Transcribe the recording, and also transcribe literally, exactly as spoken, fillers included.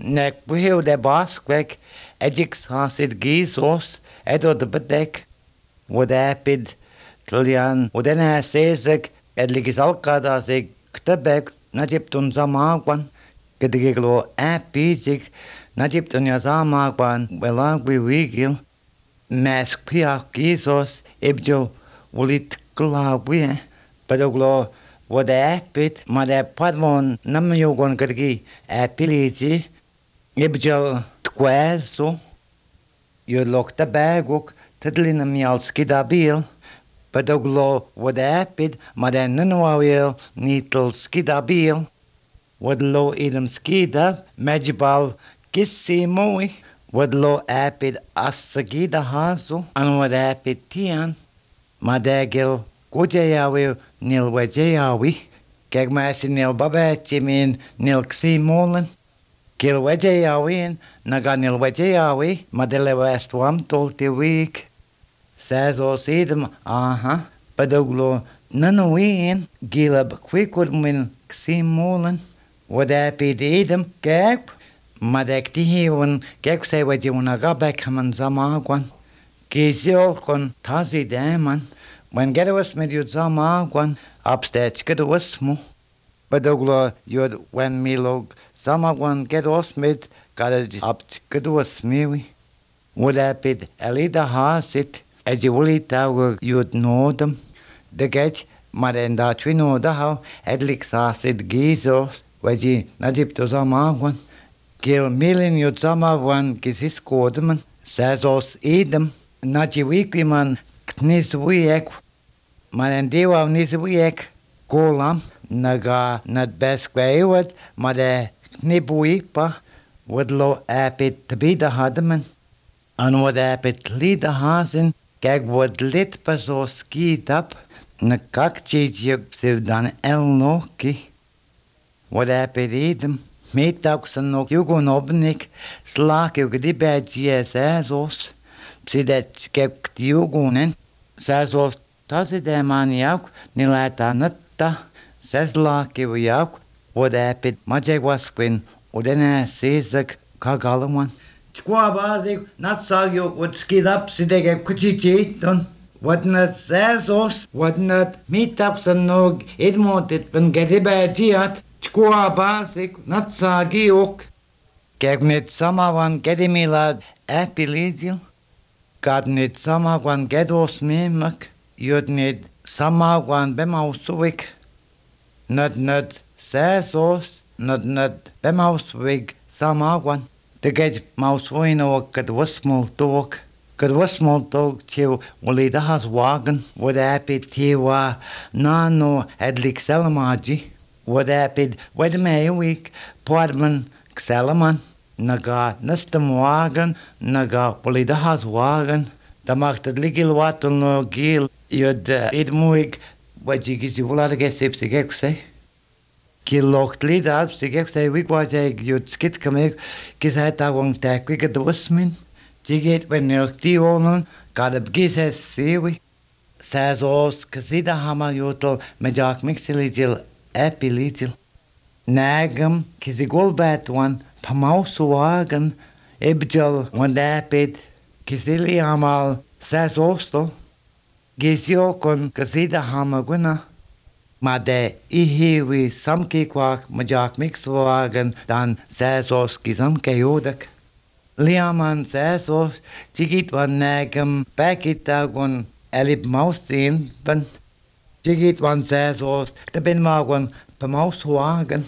nek puhiu de baskwek, edix hasid gīsos, edot bedek, ودابد تليان ودنا سيزك اللي كسال قادا سي كتبك نجيبتون زماغوان كدقيقلو أبيزك نجيبتون يا زماغوان ولاغ بيويقل ماسك بياق جيسوس إبجو وليت قلاوية بدوغلو ودابد مادا بادمون نميوغون كدقي أبيليزي إبجو تقوازو يولوك تباغوك تدلين ميال سكيدابيل بدوغلو ودابد مادن ننواويل نيتل سكيدابيل ودلو إيدم سكيداب مجبال كسي موي ودلو أبد أسكيدا هازو أن ودابد تيان ماداجل كوجياوي نيل وجياوي كيك ماسي نيل باباتي من نيل كسي مولن كيل وجياوين نغا نيل وجياوي مادلي وستوام تولتي ويك سازوس إيدم آها بدوغلو ننوين جيلب كويكود من كسيم مولن ودابيد إيدم كيك مدك تهيون كيك سيوجيون غابك من زماغوان كيزيوكون تازي دايما وان جدوس مديو زماغوان أبستيج كدوسمو بدوغلو يود وان ميلوغ زماغوان جدوس مد قادج أبت كدوس ميوي ودابيد أليدا هاسيت أجي ولي تاوغ يود نودم دقاج مادن دا توينو دهو أدلك ساسد جيزوس وجي نجيب تو زماغوان كيل ميلين يود زماغوان كيسيس كودمن سازوس إيدم نجي ويكي من كتنيس ويك مادن ديواو نيس ويك كولام نغا ندبس كويود مادن نبويبا ودلو أبيت تبيدا هادمن أن ودابت ليدا هاسن Kijk, wat lid pas zo skiet op, na kakcheetje ze dan elnoki. Wat heb je eten? Meetak ze nog jugon opnik, slaak je die bij G S S-os. Ze dat kijk die jugonen. Ze zo dat ze de man jou, niet laat netta. Ze slaak je jou, wat heb je? Maar je was kwin, odena zezek kagalaman. Chkwa bazik nat sagyo wat skid up sidege kuchichi don wat nat sasos wat nat meetup san nog edmontet ben gedibatiat chkwa bazik nat sagiok kek net samawan gedimilad apilizil kad net samawan gedos memak yod net samawan bemausuvik nat nat sasos nat nat bemausuvik samawan De geit maus voino kad wasmol tog kad wasmol tog tio wali da has wagen wat apid tiwa nano edlik selamaji wat apid wed me week podman xelaman naga nastam wagen naga wali da has wagen da macht het ligil wat no gil yod id muig wat je gizi wala da gesep sig say Kilocht lida ab sig say week wat je yod skit kamek kis het awong tak we get dosmin jiget when er die wonen gad ab gises sewi sazos kasida hama yotel majak mixiligil epiligil nagam kisigol bat one pamaus wagen ebjal one dapid kisili hamal sazostel gisio kon kasida hama guna Maar de ihiwi samki kwak majak mixwagen dan sazos kisam kayodak. Liaman sazos tigit wan nagam pakitagon elip mausin ban. Tigit wan sazos de bin magon pamauswagen.